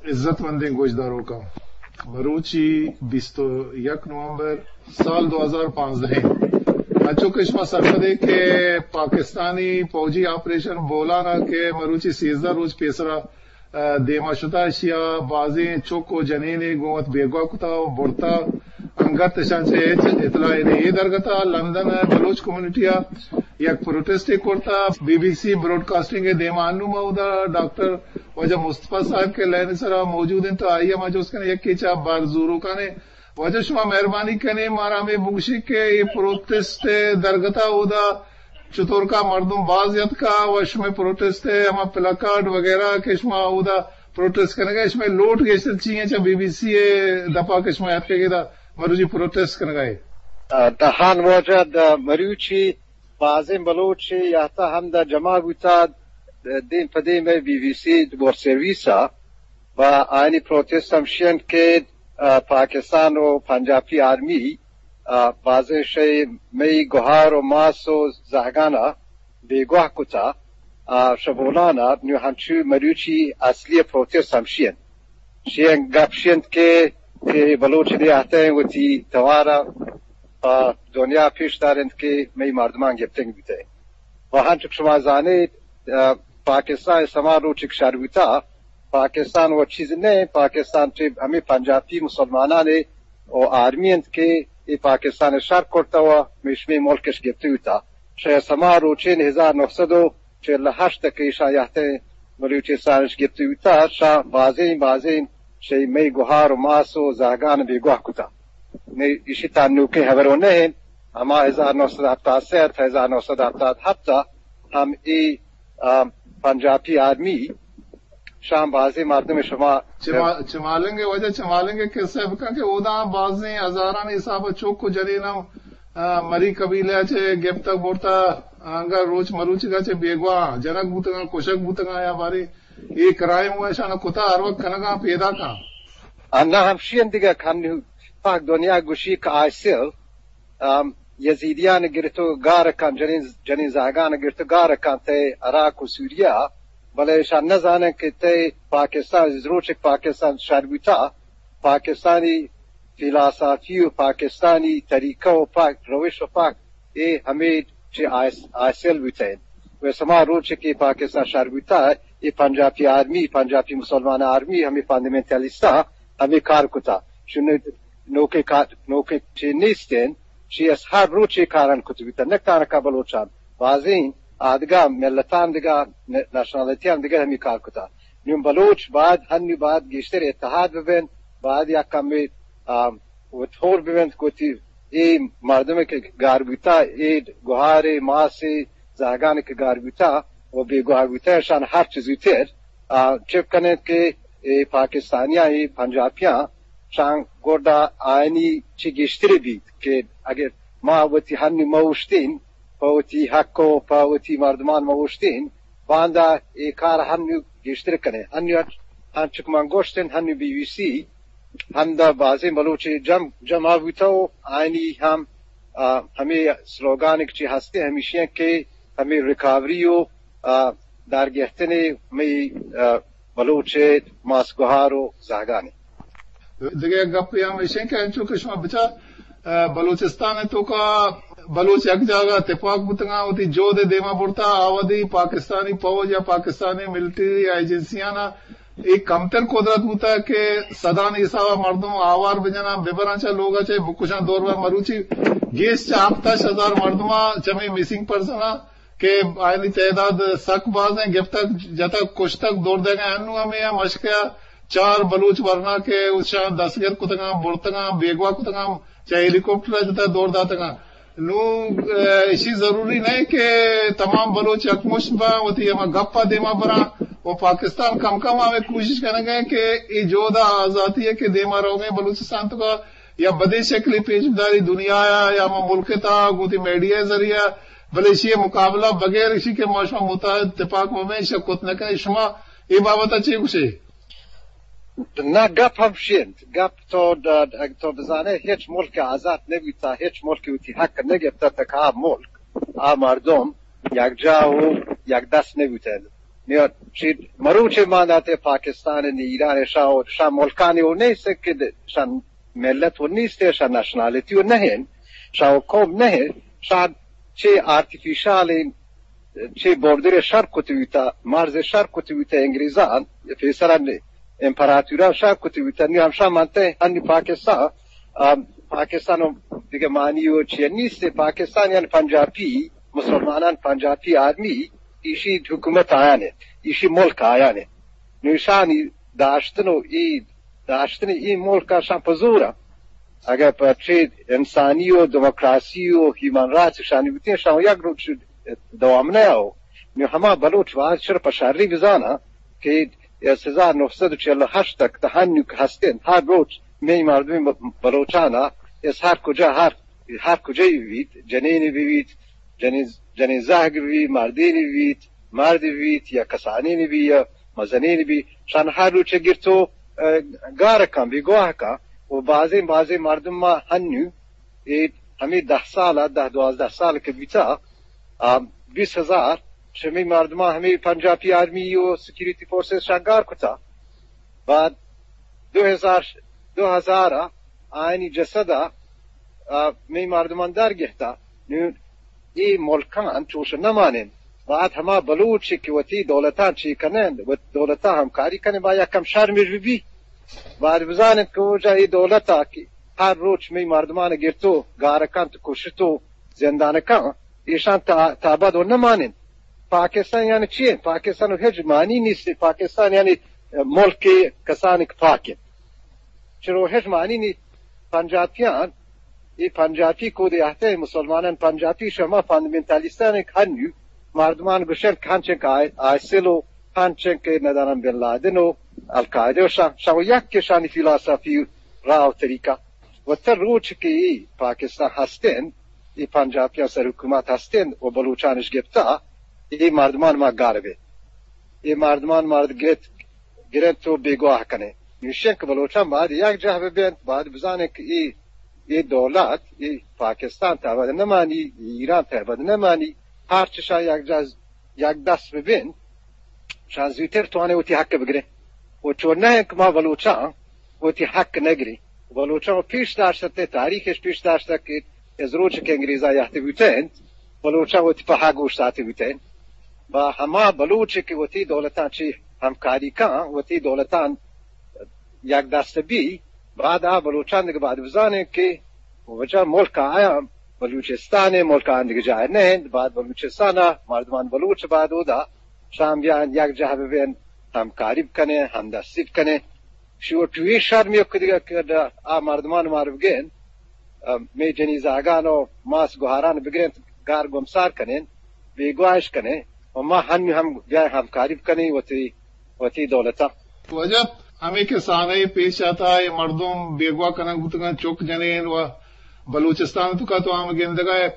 عزت مندیں گوشداروکاں، مروچی بیست و یک نومبر سال دو ہزار پانزدہ انت۔ انچو کہ شما سرپدے کہ پاکستانی فوجی آپریشن بولان ءَ کہ مروچی سیزدہ روچ پیسرا، ءَ، دیما شتا، اشیا بازیں چک و جنینے گوں وت بیگواہ کتا و برتا، انگت اشاں چہ ہچ اطلاعے نہ۔ اے درگتا لندن ءَ بلوچ کمیونٹی ءَ یک پروٹسٹے کرتا۔ بی بی سی براڈکاسٹنگ ءِ دیما انوں ما اودا ڈاکٹر واجہ مصطفی صاحب کہ لائن ءِ سرا موجود انت، آئی ءَ ما جست کنیں، یکے چہ بر زوروکانے۔ واجہ شما مہربانی کنیں، مارا ہمے بگوشی کہ اے پروٹسٹ ءِ درگتا اودا چطور کا مردم باز یتکا و شمئے پروٹسٹ ءِ ہما پلاکارڈ وغیرہ کہ شما اودا پروٹسٹ کنگا، شمئے لوٹ گیشتر چی ہیں چہ بی بی سی ءِ دپا کہ شما یتکگے دا مروچی پروٹسٹ کنگا ہے؟ ءَ، دہان واجہ، د-، مروچی بازیں بلوچے یاتا ہم دا جمع بوتا، د-، دیم پہ دیم بی بی سی ورلڈ سروس ءَ و آیانی پروٹسٹ ہمشی انت کہ، ءَ، پاکستان و پنجابی آرمی، ءَ، بازیں شے مئی گوہار و ماس و زہگانا بیگواہ کتا، ءَ، شبولانا۔ نو ہنچو مروچی اصلی پروٹسٹ ہمشی انت۔ شی انت گپ شی انت کہ، کہ بلوچ نیاہتیں وتی توارا پہ دنیا پیش دارنت کہ مئی مردمان گپتنگ بیتیں۔ و ہنچو کہ شما زانیت، ءَ، پاکستان سما روچک شر بوتا، پاکستان و چیز نہ، پاکستان چہ ہمے پنجابی مسلمانان و آرمی انت کہ اے پاکستان شر کرتا و میشمی ملکش گپتی بوتا۔ شہ سما روچین ہزار نو سد و چل و ہشت کہ ایشاں یہتیں بلوچستانش گپتی بوتا، شاں بازیں بازیں شہ مئی گوہار و ماس و زہگان بیگواہ کتا۔ نی ایشی تا نوکیں ہبرو نہ انت۔ ہما ہزار نو سد ہپتاد سے تا ہزار نو سد ہپتاد ہپت ہم اے، ءَ، پنجابی آرمی شاں بازیں مردم شما چما-، چمالنگ ءِ واجہ، چمالنگ ءِ قصہ بکن کہ اودا بازیں ہزارانی حساب ءَ چوک و جنین ہم، ءَ، مری قبیلہ چہ گپتگ برتا، انگا روچ مروچگا چہ بیگواہ جنگ بوتگاں، کشگ بوتگاں یا بارے اے کرائم و اشانا کتا ہر وقت کنگاں پیداکاں۔ اناں ہمشی انت دگہ کن پاک دنیا گوشی کہ آئیسل، ام، یزیدیان گرت و گار کن، جنین، جنین زہگان گرت و گار کن تئی عراق و سوریا، بلے اشان نزانن کہ تئی پاکستان، روچک پاکستان شر بوتا، پاکستانی فلسفی و پاکستانی طریقہ و پاک روش و پاک اے ہمے چہ آئیس-، آئیسل بوتین۔ و سما روچ کہ پاکستان شر بوتا، اے پنجابی آرمی، پنجابی مسلمان آرمی، ہمے فنڈامنٹلستا ہمے کار کتا۔ چون نوکے کار، نوکے چی نیستین، چی اس ہر روچ اے کاران کت بوتا، نہ تانکا بلوچان، بازیں آدگا ملتان دگا، نشنالٹیان دگا ہمے کار کتا۔ نون بلوچ باید، ہنی باید گیشتر اتحاد ببین، باید یک کمی، آ، و تھور ببین کہ وتی اے مردم کہ گار بوتا، اے گوہارے، ماسے، زہگان کہ گار بوتا و بیگواہ بوتا، اشان ہر چیز زوتر، آ، چپ کنین کہ اے پاکستانیاں، اے پنجابیاں، شان گڈا آیانی چی گیشتری بیت کہ اگر ما وتی ہنی موشتین، پہ وتی حق و پہ وتی مردمان موشتین، باندا اے کار ہنی گیشتر کنین۔ ہنی ہنچک من گوشتن، ہنی بی بی سی ہمدا بازیں بلوچے جم-، جمع بوتا و آیانی ہم، آ، ہمے سلوگانک چی ہستے ہمیشی ہیں کہ ہمے ریکاوری و، آ، دارگہتنے مئی، آ، بلوچ ماس گوہار و زہگانے۔ دگہ یک گپے ہم ایش انت کہ انچو کہ شما بچار، آ، بلوچستان ءِ توکا بلوچ یک جاگہ تپاک بوتگاں، وتی جہد ءِ دیما برتا، آ وہدی پاکستانی پوج یا پاکستانی ملٹری یا ایجنسیانا اے کمتر قدرت بوتا کہ صدانی حسابا مردم آوار بجناں، ببراں چہ لوگا چہ بکشاں۔ دور بر مروچی گیش چہ ہپت ہشت ہزار مردما چمے مسنگ پرسنا کہ آیانی تعداد سک بازیں، گپتگ، جتگ، کشتگ، دور دئیگاں۔ انوں ہمے ءَ مشکے ءَ چار بلوچ ورنا کہ اشاں دستگیر کتگاں، برتگاں، بیگواہ کتگاں، چہ ہیلی کاپٹر ءَ جتگ دور داتگاں۔ نوں، ءَ، ایشی ضروری نہ کہ تمام بلوچ یکمشت باں، وتی ہما گپ ءَ دیما براں و پاکستان کم کم ہمے کوشش کنگ ءَ کہ اے جہد ءِ آزاتی ءَ کہ دیما روگیں بلوچستان توکا یا بدیں شکلے پیش بداری دنیا ءَ یا ہما ملک ءِ تہا گوں وتی میڈیا ءِ ذریعہ، بلے ایشی ءِ مقابلہ بغیر ایشی کہ ما شما متحد تپاک مہ بیں، ایشی ءَ کت نہ کنیں۔ شما اے بابت ءَ چے گوشے؟ نہ، گپ ہمشی انت۔ گپ تو، اگہ تو بزانے ہچ ملک آزاد نہ بوتا، ہچ ملک وتی حق نہ گپتا تک آ ملک، آ مردم یک جا و یک دست نہ بوتین۔ نیا چی مروچے مان داتے پاکستان ء ایران ء شاہ، شاہ ملکانی و نیست کہ شاہ ملت و نیست، شاہ نیشنالٹی و نہیں، شاہ و قوم نہیں، شاہ چی آرتیفیشل چی بوردر شر کتویتا، مرز شر کتویتا انگریزان، پیسران امپراتوران شر کتویتا، نی ہمشا مانتے ہنی پاکستان، آ، پاکستان و دیگه معنی و چی نیست، پاکستان یعنی پنجابی، مسلمانان پنجابی آرمی، ایشی حکومت آیانه، ایشی ملک آیانه. نوشانی داشتن و ای داشتن ای ملک شان پزورا. اگر پہ چی انسانی و دموکراسی و ہیومن رائٹس شانی بوتیں، شان یک روچ دوام نہ ہو. نو ہما بلوچ واز چر پہ شری بزانا کہ از ہزار نو سد و چل و ہشت تک تا ہنو کہ ہستیں، ہر روچ می مردم بلوچانا از ہر کجا، ہر، ہر کجا بیت، جنین بیت، جنین، جنین زہگ بیت، مردین بیت، مرد بیت یا کسانین بیت یا مزنین بیت، شان ہر روچ گرتو، اه، گار کن، بیگواہ کن. و بازیں، بازیں مردم ما ہنو اے ہمے دہ سال ء، دہ دوازدہ سال کہ بیتا، آ، بیست ہزار شمی مردماں ہمے پنجابی آرمی و سیکیورٹی فورسز شاگار کتا. بعد دو ہزار، دو ہزار ء آیانی جسد ء، آ، می مردمان در گہتا. نوں اے ملکان چوش نہ مانین. بعد ہما بلوچ کہ وتی دولتان چی کنند، وت دولتان ہمکاری کنند، با یک کم شرمش بی. بعد بزانت کہ اوجا اے دولت ء کہ ہر روچ می مردمان گرتو، گار کنت، کشتو، زندان کن، ایشان تا، تا ابد و نمانن. پاکستان یعنی چی؟ پاکستان و ہچ معنی نیست. پاکستان یعنی ملک کسانی کہ پاک انت. چرو ہچ معنی نیست. پنجابیان، اے پنجابی کود اہتے مسلمانان پنجابی شما فاندمنتالیستان کہ ہنو مردمان گوشن کہ ہنچن کہ آئی، آئیسل و ہنچن کہ ندانم بن لادن و القاعدہ و شان، شان یک کہ شانی فلسفی راہ و طریقہ. و تا روچ کہ اے پاکستان ہستن، اے پنجابیان سر حکومت ہستن و بلوچانش گپتا، اے مردمان ما گار بے. اے مردمان مرد گرت، گرنت و بیگواہ کنے. نوشن کہ بلوچان باید یک جاہ ببینت، باید بزانن کہ اے، اے دولت، اے پاکستان تا ابد نمانی، ایران تا ابد نمانی، ہر چشان یک جاہ، یک دست ببینت، شان زوتر توانه وتی حق بگره. و چون نه کہ ما بلوچان وتی حق نگری. بلوچان پیش داشته، تاریخش پیش داشته کہ از روچ کہ انگریزا یہتے بوتنت، بلوچان وتی پہا گوش ساتے بوتنت. با ہما بلوچ کہ وتی دولتان چی ہمکاری کن، وتی دولتان یک دست بی، بعد آ بلوچان دگہ بعد بزانن کہ وجہ ملک آیاں بلوچستان، ملک آن دگہ جاہ نہ انت، بعد بلوچستان مردمان بلوچ بعد اودا شام بیان یک جاہ ببین، ہمکاری بکنن، ہمدستی بکنن. شو ٹوی شرمی کہ دگہ کہ آ مردمان مار بگین، ام، می جنی زاگان و ماس گوہاران بگرین، گار گمسار کنین، بیگواہش کنین، و ما ہنی ہم بیاین ہمکاری بکنین وتی، وتی دولتا. واجہ، ہمے کسانہ پیش آتا، اے مردم بیگواہ کنگ بوتگن، چک جنین و بلوچستان توکا تو ہم گندگا ہے.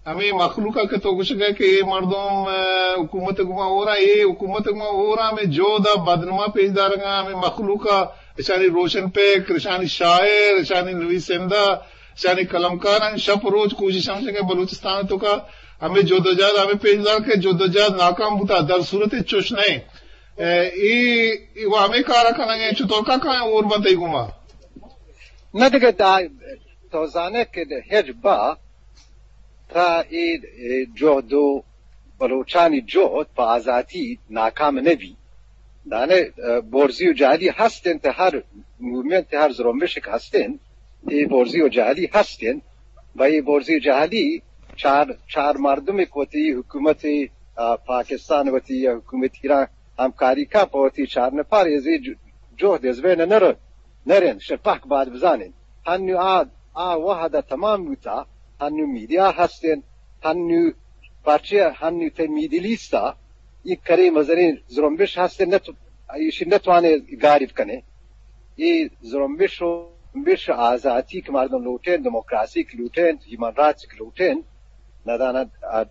ہمے مخلوقا کہ تو گوشگا کہ اے مردم، اه، حکومت گما ہورا، اے حکومت گما ہورا ہمے جہد بدنما پیش دارگا، ہمے مخلوقا اشانی روشن پکر، اشانی شاعر، اشانی نویسندہ، اشانی قلمکاران شپ روچ کوشش ہم کہ بلوچستان توکا ہمے جدوجہد ہمے پیش دار کہ جدوجہد ناکام بوتا، در صورت چوش نہیں. اے، اے، اے و ہمے کارا کنگے، چطور کا کائیں اور بنتے گما؟ نہ دگہ دا، تو زانے کہ ہچ با تا اے، اے جہد و بلوچانی جہد پہ آزاتی ناکام نہ بی. دانے، اه، برزی و جہلی ہست انت، ہر موومنٹ، ہر زرمبش کہ ہست انت، اے برزی و جہلی ہست انت. با اے برزی و جہلی چار، چار مردم کہ وتی حکومت، اه، پاکستان وتی یا حکومت ایران ہمکاری کا پہ وتی چار نفر ازی ج-، جہد از بین نہ رو، نہ رند، شر پاک بعد بزانن. ہنو آ، آ وہد تمام بوتا، ہنو میڈیا ہستن، ہنو پرچہ، ہنو تے میڈل ایستا، یک کرے مزنیں زرمبش ہستن، نہ تو، ایشی نہ توانے گاریب کنے. اے زرمبش و، زرمبش آزاتی کہ مردم لوٹین، دموکراسی کہ لوٹین، ہیومن رائٹس کہ لوٹین، ندانہ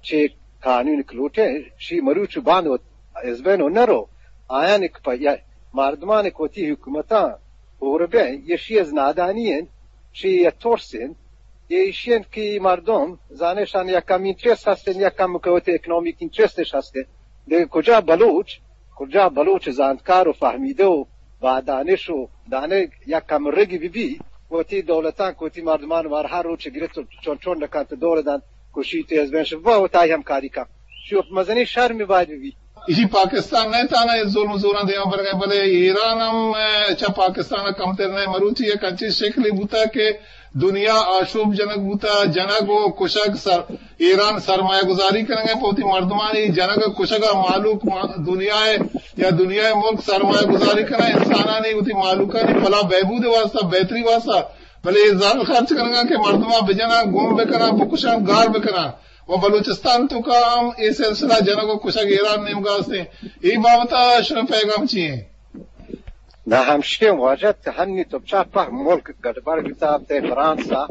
چے قانون کہ لوٹین، شی مروچ و باند و از بین و نرو. آیان کہ پہ یا مردمان کہ وتی حکومتاں ہور بین، ایشی از نادانی انت، شی یا ترس انت، ایشی انت کہ مردم زانشان یک کم انٹرسٹ ہستن، یک کم کہ وتی اکنامیک انٹرسٹش ہستن. دگہ کجا بلوچ کجا بلوچ زانتکار و فہمیدہ و با دانش و دانہ یک کمرگی بہ بی، وتی دولتاں کہ وتی مردمان وارہا روچ گرت و چون چون نکنت، دور دنت، کشیت، از بین شت، با وتای ہمکاری کن۔ شو مزنی شرمی باید بہ بی۔ ایشی پاکستان نہ تانا اے ظلم زوراں دیما برگا، بلے ایران ہم، اے، چہ پاکستان کمتر نہ۔ مروچی یک انچیں شکلے بوتا کہ دنیا آشوب جنگ بوتا، جنگ و کشگ سر، ایران سرمایہ گذاری کنگا پہ وتی مردمانی جنگ و کشگا، مہلوک ما-، دنیا یا دنیا ملک سرمایہ گذاری کنا انسانانی، وتی مہلوکانی بلا بہبود واسطہ، بہتری واسطہ، بلے اے زر خرچ کنگا کہ مردماں بجناں، گم بکناں، بکشاں، گار بکناں۔ و بلوچستان توکا ہم اے سلسلہ جنگ و کشگ ایران نیمگا استیں۔ اے بابتا شما پیغام چی ہیں؟ نہ ہمشی واجہ، تہ ہنی تو چا پہ ملک گڑبڑ بیتا، تہ فرانسا،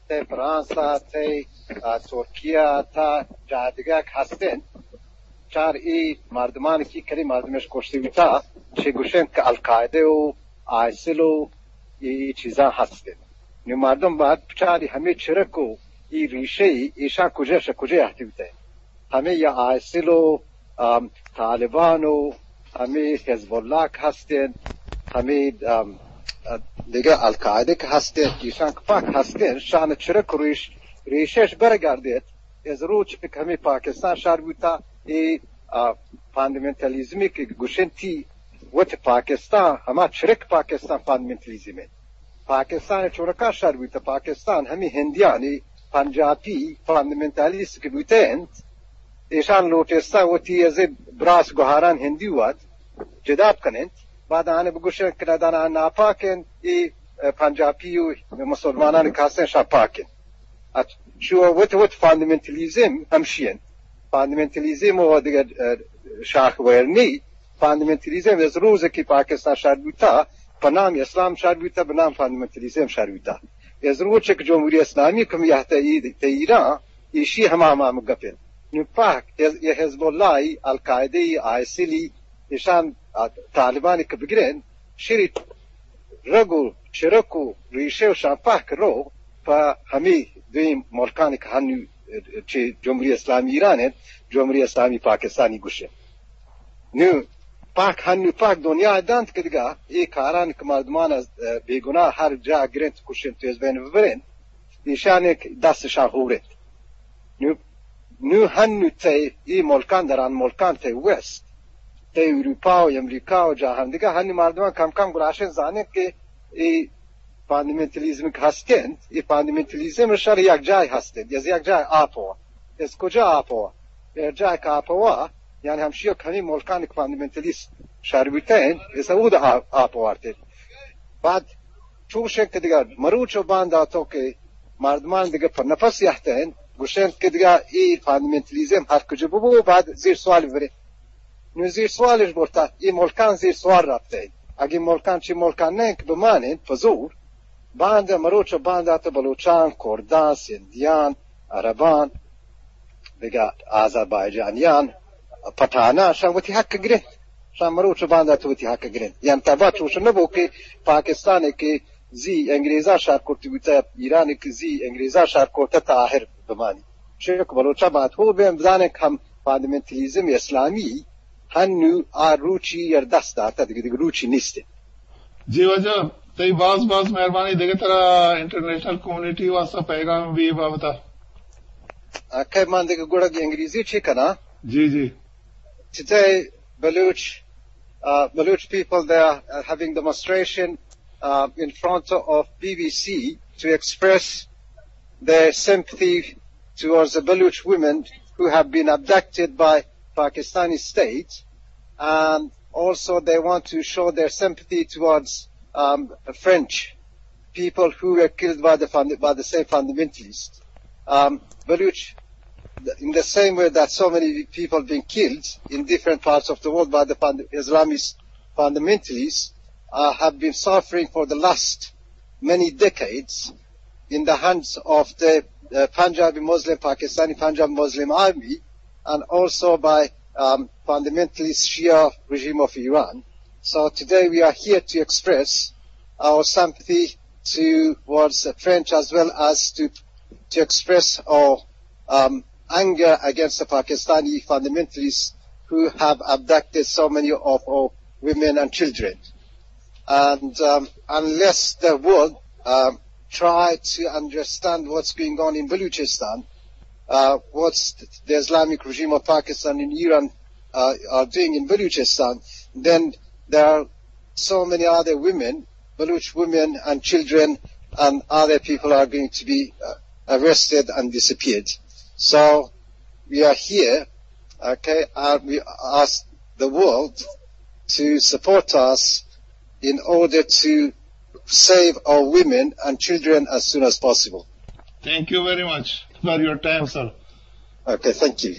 تہ فرانسا، تہ، آ، ترکیہ، تہ جاہ دگہ ہستن۔ چار ای مردمان کی کلی مردمش کشتی بیتا، چہ گوشن کہ القاعدہ و آئسل و ای چیزاں ہستن۔ نو مردم باید بچاری ہمے چرک و ای ریشہ ای ایشاں کجا شہ کجا اہتی بیتہ۔ ہمے یا آئسل و، آم، طالبان و ہمے حزب اللہ کہ ہستن، ہمے، آم، دگہ القاعدہ کہ ہستن، ایشاں کہ پاک ہستن، شان چرک و ریش، ریشش برگردیت۔ از روچ کہ ہمے پاکستان شر بوتا، ای، آ، فاندمنتالیزمی کہ گوشنتی وت پاکستان، ہما چرک پاکستان فاندمنتالیزم انت۔ پاکستان چونکا شر بوت، پاکستان ہمے ہندیانی پنجابی فاندمنتالیست کہ بوتہ انت، ایشان لوٹستہ وتی از براس گوہاران ہندی وت جدا بکننت، بعد آنے بگوشن کہ ندانا ناپاک انت، ای پنجابی و مسلمانان کاسن شان پاک انت۔ اچ-، شو وت وت فاندمنتالیزم ہمشی انت۔ فاندمنتالیزم و دگہ، اه، شاخ ویرنی، فاندمنتالیزم از روز کہ پاکستان شر بوتا، پہ نام اسلام شر بوتا، پہ نام فاندمنتالیزم شر بوتا۔ از روز کہ جمہوری اسلامی کمیت تہ ایران، ایشی ہما ہما گپ انت۔ نو پاک، یہ حزب اللہ، القاعدہ، آئسلی، ایشان، آ، طالبانی کہ بگرین، شری رگ و چرک و ریشہ و شان پاک رو پہ ہمے دوئیں ملکانی کہ ہنو چہ جمہوری اسلامی ایران انت، جمہوری اسلامی پاکستانی گوشن۔ نو پاک ہنو پاک دنیا دانت کہ دگہ اے کاران کہ مردمان از، اه، بے گناہ ہر جا گرنت، کشنت، از بین ببرنت، ایشان یک دستشان ہورنت۔ نو، نو ہنو تئی اے ملکان دران ملکان تئی ویسٹ، تئی اروپا و امریکا و جاہان دگہ ہنو مردمان کم کم گلاشن زانن کہ اے فاندمنتالیزم کہ ہستنت، اے فاندمنتالیزم شر یک جای ہستنت، از یک جای آپوا۔ از کجا آپوا؟ یک جای کہ آپوا، یعنی ہمشی کہ ہمے ملکان کہ فاندمنتالیست شر بوتنت، از اود آ-، آپوارتنت۔ بعد چوشیں کہ دگہ مروچ و بانداتو کہ مردمان دگہ پہ نفس یہتنت، گوشنت کہ دگہ اے فاندمنتالیزم ہر کجا ببو، بعد زیر سوال ببرے۔ نو زیر سوالش برتا، اے ملکان زیر سوال رفتے۔ اگہ ملکان چی ملکان نہ کہ بماننت پہ زور، باند مروچ و باندات بلوچان، کردان، سندیان، عربان، دگہ آذربائیجانیان، پٹھانان، شان وتی حق گرنت۔ شان مروچ و باندات وتی حق گرنت۔ یعنی تبا چوش نبو کہ پاکستان کہ زی انگریزان شار کرتی بوتا، ایران کہ زی انگریزان شار کرتا تا آخر بمانی۔ شک بلوچا بات ہو بین بدانن کہ ہم فاندمنتالیزم اسلامی ہنو آ روچی یر دست داتا، دگہ، دگہ روچی نیست۔ جی واجہ، تئی باز باز مہربانی۔ دگہ ترا انٹرنیشنل کمیونٹی واسطہ پیغام بی بابتا؟ اکہ من دگہ گڑا انگریزی چی کنا؟ جی، جی۔ Today, Baloch, uh, Baloch people, they are, uh, having demonstration, uh, in front of B B C to express their sympathy towards the Baloch women who have been abducted by Pakistani state, and also they want to show their sympathy towards, um, French people who were killed by the fund-, by the same fundamentalists. Um, Baloch, in the same way that so many people been killed in different parts of the world by the fund-, Islamist fundamentalists, uh, have been suffering for the last many decades in the hands of the, uh, Punjabi Muslim, Pakistani Punjabi Muslim Army, and also by, um, fundamentalist Shia regime of Iran. So today we are here to express our sympathy towards the French, as well as to, to express our, um, anger against the Pakistani fundamentalists who have abducted so many of our women and children. And um, unless the world um, try to understand what's going on in Baluchistan, uh, what the Islamic regime of Pakistan and Iran uh, are doing in Baluchistan, then there are so many other women, Baloch women and children and other people are going to be uh, arrested and disappeared. So we are here, okay, and we ask the world to support us in order to save our women and children as soon as possible. Thank you very much for your time, sir. Okay, thank you.